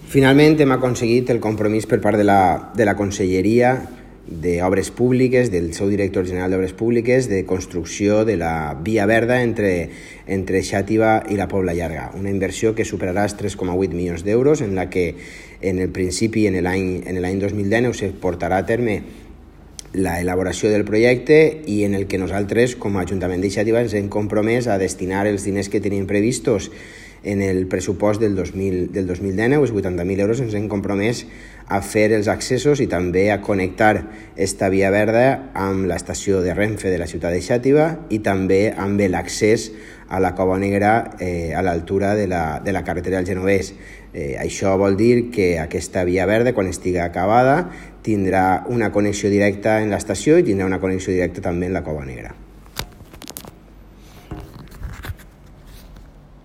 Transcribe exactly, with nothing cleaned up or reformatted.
Finalment hem aconseguit el compromís per part de la, de la Conselleria d'Obres Públiques, del seu director general d'Obres Públiques, de construcció de la via verda entre, entre Xàtiva i la Pobla Llarga. Una inversió que superarà els tres coma vuit milions d'euros, en la que en el principi, en l'any dos mil dinou, se portarà a terme la elaboració del projecte i en el que nosaltres, com a Ajuntament de Xàtiva, ens hem compromès a destinar els diners que tenim previstos en el pressupost del dos mil dinou, els vuitanta mil euros, ens hem compromès a fer els accessos i també a connectar esta via verda amb l'estació de Renfe de la ciutat de Xàtiva i també amb l'accés a la Cova Negra eh, a l'altura de la, de la carretera del Genovés. Eh, això vol dir que aquesta via verda, quan estigui acabada, tindrà una connexió directa en l'estació i tindrà una connexió directa també en la Cova Negra.